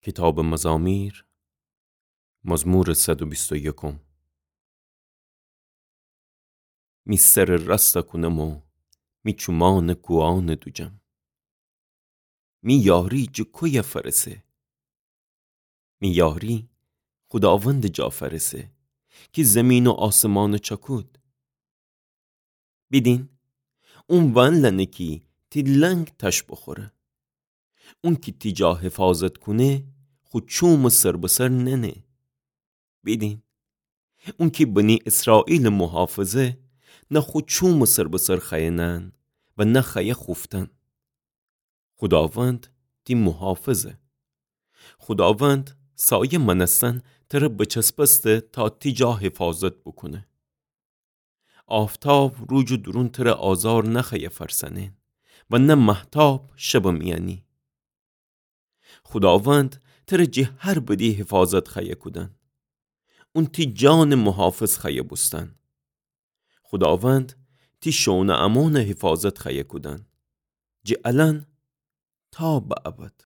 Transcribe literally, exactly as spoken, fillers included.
کیتابٚ مزامیر، مزمورٚ صد و بیست و یکم. می سرٚ راستَ کونم و می چومأنَ کوهأنٚ دوجم. می یاری جٚه کویه فأرسه؟ می یاری خوداوندٚ جا فأرسه، کی زیمین و آسمانَ چأکود. بیدین، اون وأنلأنه کی تی لنگ تأش بوخوره. اون کی تی جا حفاظت کونه، خو چومَ سر به سر ننه. بیدین، اون کی بنی اسرائیلَ محافظه، نه خو چومَ سر به سر خوأیه نأن و نه خوأیه خوفتن. خوداوند تی محافظه. خوداوند سایه مأنستن تره بچسبسته تا تی جا حفاظت بوکونه. آفتاب روجٚ دورون تره آزار نخوأیه فأرسأنه و نه مهتاب شبٚ میأنی. خوداوند تره جٚه هر بدی حفاظت خوأیه کودن. اون تی جانٚ محافظ خوأیه بوستن. خوداوند تی شئون و امانَ حفاظت خوأیه کودن، جٚه الأن تا به ابد.